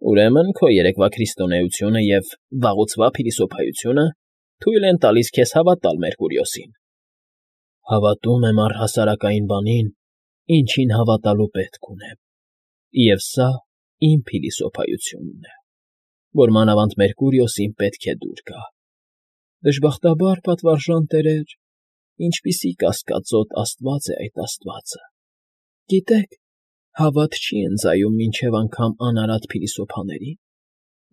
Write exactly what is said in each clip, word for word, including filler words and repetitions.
Ուրեմն քո երեկվա քրիստոնեությունը և վաղուցվա փիլիսոփայությունը թույլ են տալիս քեզ հավատալ Մերկուրիոսին։ Հավատում եմ առհասարակային բանին, ինչին հավատալու պետք ունեմ, և սա իմ փիլիսոփայությունն է, որ մանավանդ Մերկուրիոսին պետք է դուր գա։ Դժբախտաբար, պատվարժան տերեր, ինչպիսի կասկածոտ աստված է այդ աստվածը։ Գիտեք, հավատ չի ընծայում մինչև անգամ անարատ փիլիսոփաներին,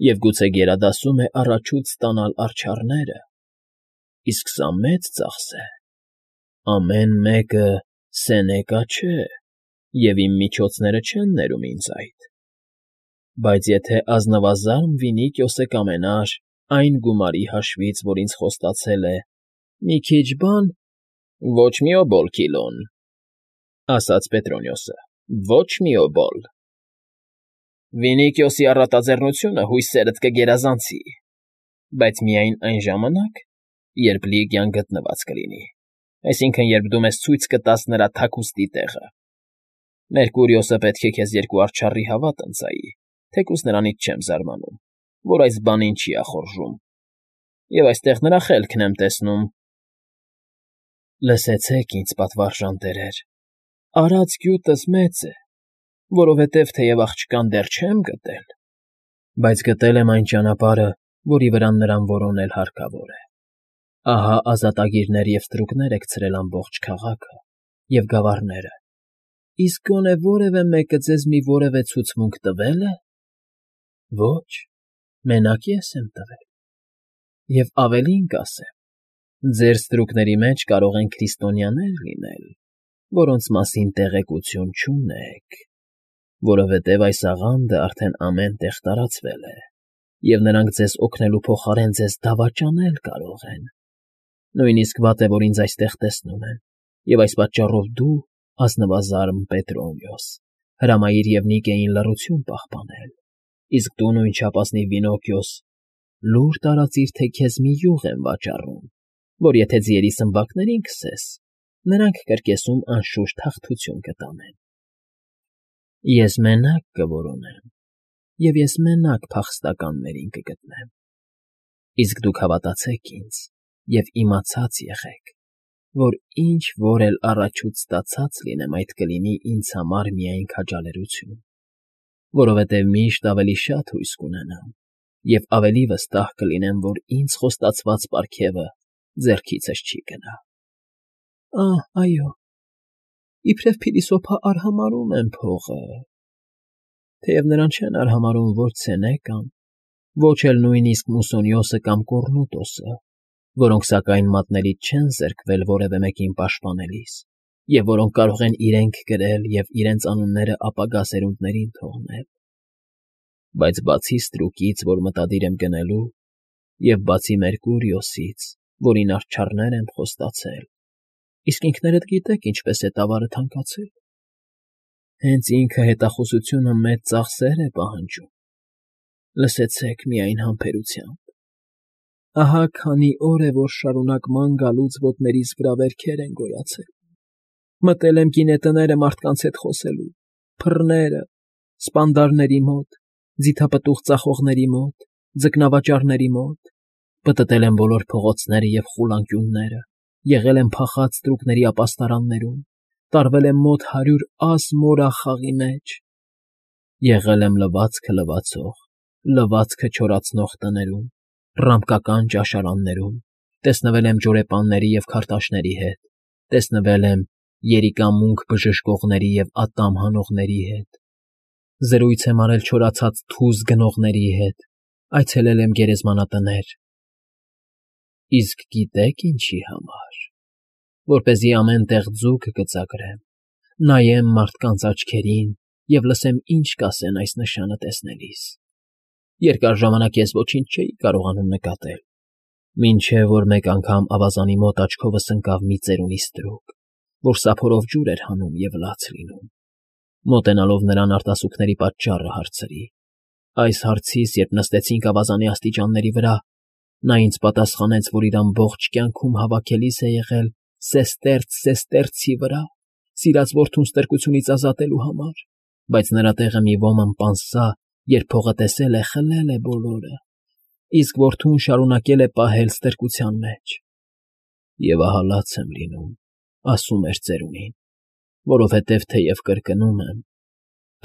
և գուցե գերադասում է առաջուց ստանալ արջառները, իսկ սա մեծ ծախս է։ Ամեն մեկը Սենեկա չէ, և իմ միջոցները չեն ներում ինձ այդ։ Բայց եթե ազնվազարմ Վինիկիոսը կամենար այն գումարի հաշվից, որ ինձ խոստացել է, մի քիչ բան… ֊ Ոչ մի օբոլ, Քիլոն,֊ ասաց Պետրոնիոսը,֊ ոչ մի օբոլ… Վինիկիոսի առատաձեռնությունը հույսերդ կգերազանցի, բայց միայն այն ժամանակ, երբ Լիգիան գտնված կլինի, այսինքն՝ երբ դու մեզ ցույց կտաս նրա թաքուստի տեղը։ Մերկուրիոսը պետք է քեզ երկու արջառի հավատ ընծայի, թեկուզ նրանից չեմ զարմանում, որ այս բանին չի ախորժում, և այստեղ նրա խելքն եմ տեսնում։ ֊ Լսեցեք ինձ, պատվարժան տերեր, արած գյուտս մեծ է, որովհետև թեև աղջկան դեռ չեմ գտել, բայց գտել եմ այն ճանապարհը, որի վրա նրան որոնել հարկավոր է։ Ահա ազատագիրներ և ստրուկներ եք ցրել ամբողջ քաղաքը և գավառները, իսկ գոնե որևէ մեկը ձեզ մի որևէ ցուցմունք տվե՞լ է։ Ոչ, մենակ ես եմ տվել։ Եվ ավելին կասեմ, ձեր ստրուկների մեջ կարող են քրիստոնյաներ լինել, որոնց մասին տեղեկություն չունեք, որովհետև այս աղանդը արդեն ամեն տեղ տարածվել է, և նրանք ձեզ օգնելու փոխարեն ձեզ դավաճանել կարող են։ Նույնիսկ վատ է, որ ինձ այստեղ տեսնում են, և այս պատճառով դու, ազնվազարմ Պետրոնիոս, հրամայիր և Նիկեին լռություն պահպանել, իսկ դու, նույն չափազնիվ Վինոկիոս, լուր տարածիր, թե քեզ մի յուղ եմ վաճառում, որ եթե ձիերի սմբակներին քսես, նրանք կրկեսում անշուշտ հաղթություն կտանեն։ Ես մենակ կորոնեմ, և ես մենակ փախստականներին կգտնեմ։ Իսկ դուք հավատացեք ինձ և իմացած եղեք, որ ինչ֊որ էլ առաջուց ստացած լինեմ, այդ կլինի ինձ համար միայն քաջալերություն, որովհետև միշտ ավելի շատ հույս կունենամ և ավելի վստահ կլինեմ, որ ինձ խոստացված պարգևը ձեռքիցս չի գնա։ Ահ, այո, իբրև փիլիսոփա արհամարհում եմ փողը, թեև նրան չեն արհամարհում ոչ Սենեկան, ոչ էլ նույնիսկ Մուսոնիոսը կամ Կոռնուտոսը, որոնք սակայն մատներից չեն զերկվել որևէ մեկին պաշտպանելիս, և որոնք կարող են իրենք գրել և իրենց անունները ապագա սերունդներին թողնել։ Բայց բացի ստրուկից, որ մտադիր եմ գնելու, և բացի Մերկուրիոսից, որին արջառներ եմ խոստացել, իսկ ինքներդ գիտեք ինչպես է տավարը թանկացել, հենց ինքը հետախուզությունը մեծ ծախսեր է պահանջում։ Լսեցեք միայն համբերությամբ. ահա քանի օր է, որ շարունակ ման գալուց ոտներիս վրա վերքեր են գոյացել, մտել եմ գինետները մարդկանց հետ խոսելու, փռները, սպանդարների մոտ, ձիթապտուղ ծախողների մոտ, ձկնավաճառների մոտ, պտտել եմ բոլոր փողոցները և խուլանկյունները, եղել եմ փախած ստրուկների ապաստարաններում, տարվել եմ մոտ հարյուր աս մորախաղի մեջ, եղել եմ լվացքը լվացող, լվացքը չորացնող տներում, ռամկական ճաշարաններում, տեսնվել եմ ջորեպանների և քարտաշների հետ, տեսնվել եմ երիկամունք բժշկողների և ատամ հանողների հետ, զրույց եմ արել չորացած թուզ գնողների հետ, այցելել եմ գերեզմանատներ։ Իսկ գիտե՞ք ինչի համար։ Որպեսզի ամեն տեղ ձուկ գծագրեմ, նայեմ մարդկանց աչքերին և լսեմ ինչ կասեն այս նշանը տեսնելիս։ Երկար ժամանակ ես ոչինչ չէի կարողանում նկատել, մինչև որ մեկ անգամ ավազանի մոտ աչքովս ընկավ մի ծերունի ստրուկ, որ սափորով ջուր էր հանում և լաց լինում։ Մոտենալով նրան արտասուքների պատճառը հարցրի։ Այս հարցիս, երբ նստեցինք ավազանի աստիճանների վրա, նա ինձ պատասխանեց, որ իր ամբողջ կյանքում հավաքելիս է եղել սեստերց սեստերցի վրա, սիրած որդուն ստրկությունից ազատելու համար, բայց նրա տեղը մի ոման պանսա երբ փողը տեսել է, խլել է բոլորը, իսկ որդուն շարունակել է պահել ստրկության մեջ։ Եվ ահա լաց եմ լինում, ասում էր ծերունին, որովհետև թեև կրկնում եմ,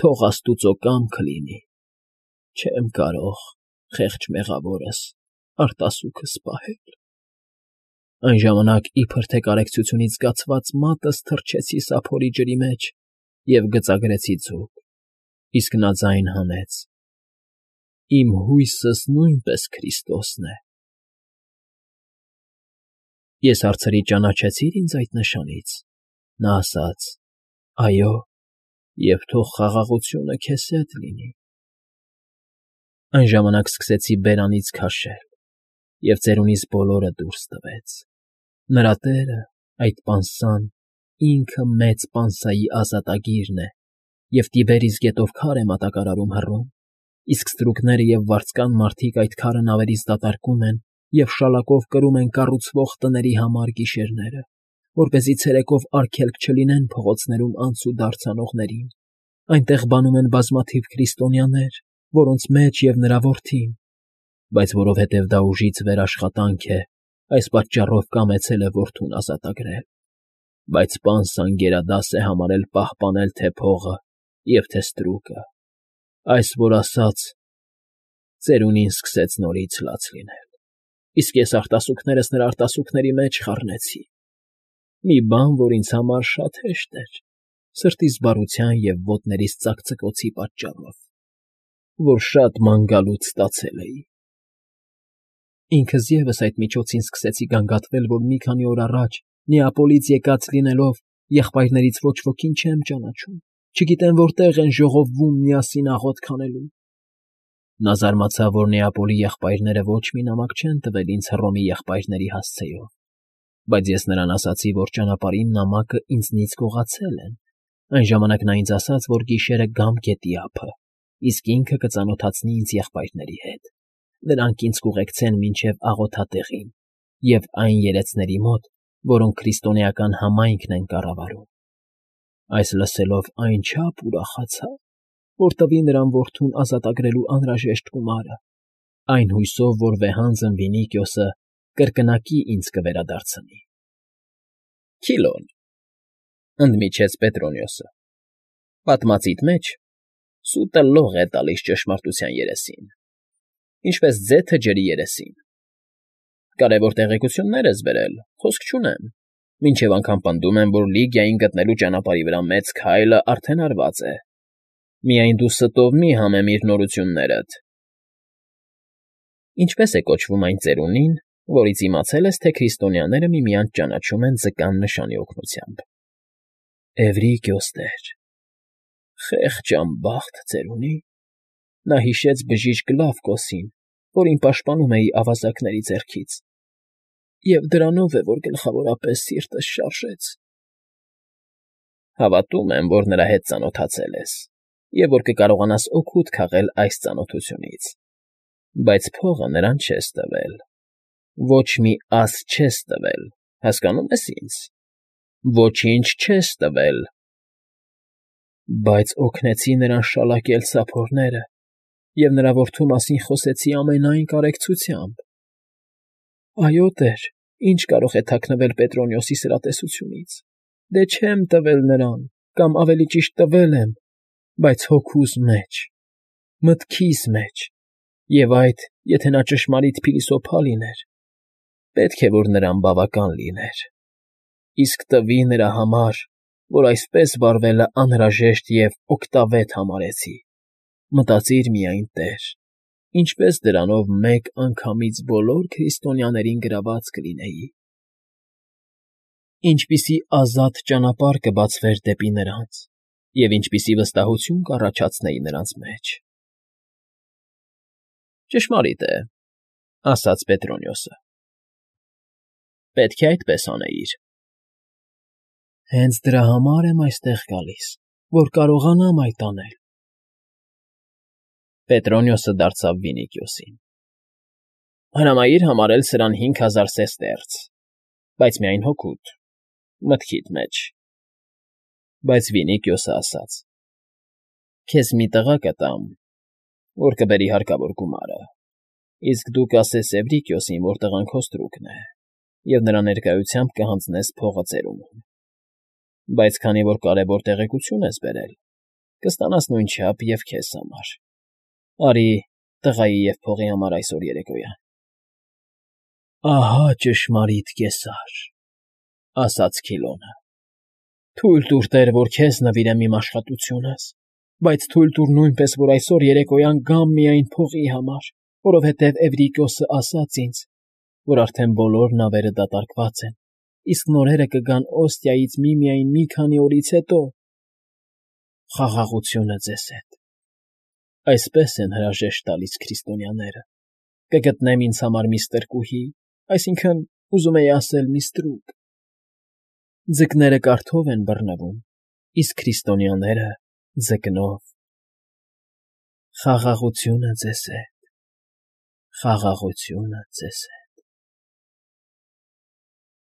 թող աստուծո կամքը լինի, չեմ կարող, խեղճ մեղավորս, արտասուքս պահել։ Այն ժամանակ իբր թե կարեկցությունից զգացված մատս թռչեցի սափորի ջրի մեջ և գծագրեցի ձուկ, իսկ նա ձայն հանեց. «Իմ հույսս նույնպես Քրիստոսն է»։ Ես հարցրի. «Ճանաչեցի՞ր ինձ այդ նշանից»։ Նա ասաց. «Այո, և թող խաղաղությունը քեզ հետ լինի»։ Այն ժամանակ սկսեցի բերանից քաշել, և ծերունիս բոլորը դուրս տվեց։ Նրա տերը, այդ պանսան, ինքը մեծ պանսայի ազատագիրն է և Տիբերիս գետով քար է մատակարարում հռում, իսկ ստրուկները և վարձկան մարդիկ այդ քարը նավերից դատարկում են և շալակով կրում են կառուցվող տների համար գիշերները, որպեսզի ցերեկով արգելք չլինեն փողոցներում անցուդարձ անողներին. այնտեղ բանում են բազմաթիվ քրիստոնյաներ, որոնց մեջ և նրա որդին, բայց որովհետև դա ուժից վեր աշխատանք է, այս պատճառով կամեցել է որդուն ազատագրել, բայց պանսան գերադաս է համարել պահպանել թե փողը և թե ստրուկը, այս որ ասաց, ծերունին սկսեց նորից լաց լինել, իսկ ես արտասուքներս նրա արտասուքների մեջ խառնեցի, մի բան, որ ինձ համար շատ հեշտ էր, սրտիս բարության և ոտներիս ծակծկոցի պատճառով, որ շատ ման գալուց ստացել էի։ Ինքս ևս այդ միջոցին սկսեցի գանգատվել, որ մի քանի օր առաջ Նեապոլից եկած լինելով եղբայրներից ոչ ոքին չեմ ճանաչում, չգիտեմ որտեղ են ժողովվում միասին աղոթք անելու։ Նա զարմացավ, որ Նեապոլի եղբայրները ոչ մի նամակ չեն տվել ինձ Հռոմի եղբայրների հասցեով, բայց ես նրան ասացի, որ ճանապարհին նամակը ինձնից գողացել են, այն ժամանակ նա ինձ ասաց, որ գիշերը գամ գետի ափը, իսկ ինքը կծանոթացնի ինձ եղբայրների հետ, նրանք ինձ կուղեկցեն մինչև աղոթատեղին և այն երեցների մոտ, որոնք քրիստոնեական համայնքն են կառավարում։ Այս լսելով այնչափ ուրախացա, որ տվի նրան որդուն ազատագրելու անհրաժեշտ գումարը, այն հույսով, որ վեհանձն Վինիկիոսը կրկնակի ինձ կվերադարձնի։ ֊ Քիլոն,֊ ընդմիջեց Պետրոնիոսը,֊ պատմածիդ մեջ սուտը լող է տալիս ճշմարտության երեսին, ինչպես ձեթը ջրի երեսին։ Կարևոր տեղեկություններ ես բերել, խոսք չունեմ, մինչև անգամ պնդում եմ, որ Լիգիային գտնելու ճանապարհի վրա մեծ քայլը արդեն արված է։ Միայն դու ստով մի համեմիր նորություններդ։ Ինչպե՞ս է կոչվում այն ծերունին, որից իմացել ես, թե քրիստոնյաները միմյանց ճանաչում են ձկան նշանի օգնությամբ։ ֊ Էվրիկիոս տեր։ Խեղճ անբախտ ծերունի։ Նա հիշեց բժիշկ Լավկոսին, որին պաշտպանում էի ավազակների ձեռքից, և դրանով է, որ գլխավորապես սիրտս շարժեց։ Հավատում եմ, որ նրա հետ ծանոթացել ես և որ կկարողանաս օգուտ քաղել այս ծանոթությունից, բայց փողը նրան չես տվել, ոչ մի աս չես տվել, հասկանո՞ւմ ես ինձ, ոչինչ չես տվել։ Բայց օգնեցի նրան շալակել սափորները և նրա որդու մասին խոսեցի ամենայն կարեկցությամբ։ Այո, տեր, ինչ կարող է թաքնվել Պետրոնիոսի սրատեսությունից, դե չեմ տվել նրան, կամ ավելի ճիշտ տվել եմ, բայց հոգուս մեջ, մտքիս մեջ, և այդ, եթե նա ճշմարիտ փիլիսոփա լիներ, պետք է որ նրան բավական լիներ, իսկ տվի նրա համար, որ այսպես վարվելը անհրաժեշտ և օգտավետ համարեցի, մտածիր միայն, տեր, ինչպես դրանով մեկ անգամից բոլոր քրիստոնյաներին գրաված կլինեի, ինչպիսի ազատ ճանապարհ կբացվեր դեպի նրանց և ինչպիսի վստահություն կառաջացնեի նրանց մեջ։ ֊ Ճշմարիտ է,֊ ասաց Պետրոնիոսը։ Պետք է այդպես անեիր։ Հենց դրա համար եմ այստեղ գալիս, որ կարողանամ այդ անել։ Պետրոնիոսը դարձավ Վինիկիոսին. Հրամայիր համարել սրան հինգ հազար սեստերց, բայց միայն հոգուդ, մտքիդ մեջ։ Բայց Վինիկիոսը ասաց. Քեզ մի տղա կտամ, որ կբերի հարկավոր գումարը, իսկ դու կասես Էվրիկիոսին, որ տղան քո ստրուկն է, և նրա ներկայությամբ կհանձնես փողը ծերունուն, բայց քանի որ կարևոր տեղեկություն ես բերել, կստանաս նույն չափ և քեզ համար. արի տղայի և փողի համար այսօր երեկոյան։ ֊ Ահա ճշմարիտ կեսար,֊ ասաց Քիլոնը։ ֊ Թույլ տուր, տեր, որ քեզ նվիրեմ իմ աշխատությունս, բայց թույլ տուր նույնպես, որ այսօր երեկոյան գամ միայն փողի համար, որովհետև Էվրիկիոսն ասաց ինձ, որ արդեն բոլոր նավերը դատարկված են, իսկ նորերը կգան Օստիայից միմիայն մի քանի օրից հետո։ Խաղաղությունը ձեզ հետ… Այսպես են հրաժեշտ տալիս քրիստոնյաները. կգտնեմ ինձ համար մի ստրկուհի, այսինքն՝ ուզում էի ասել մի ստրուկ… Ձկները կարթով են բռնվում, իսկ քրիստոնյաները՝ ձկնով… Խաղաղությունը ձեզ հետ… Խաղաղությունը ձեզ։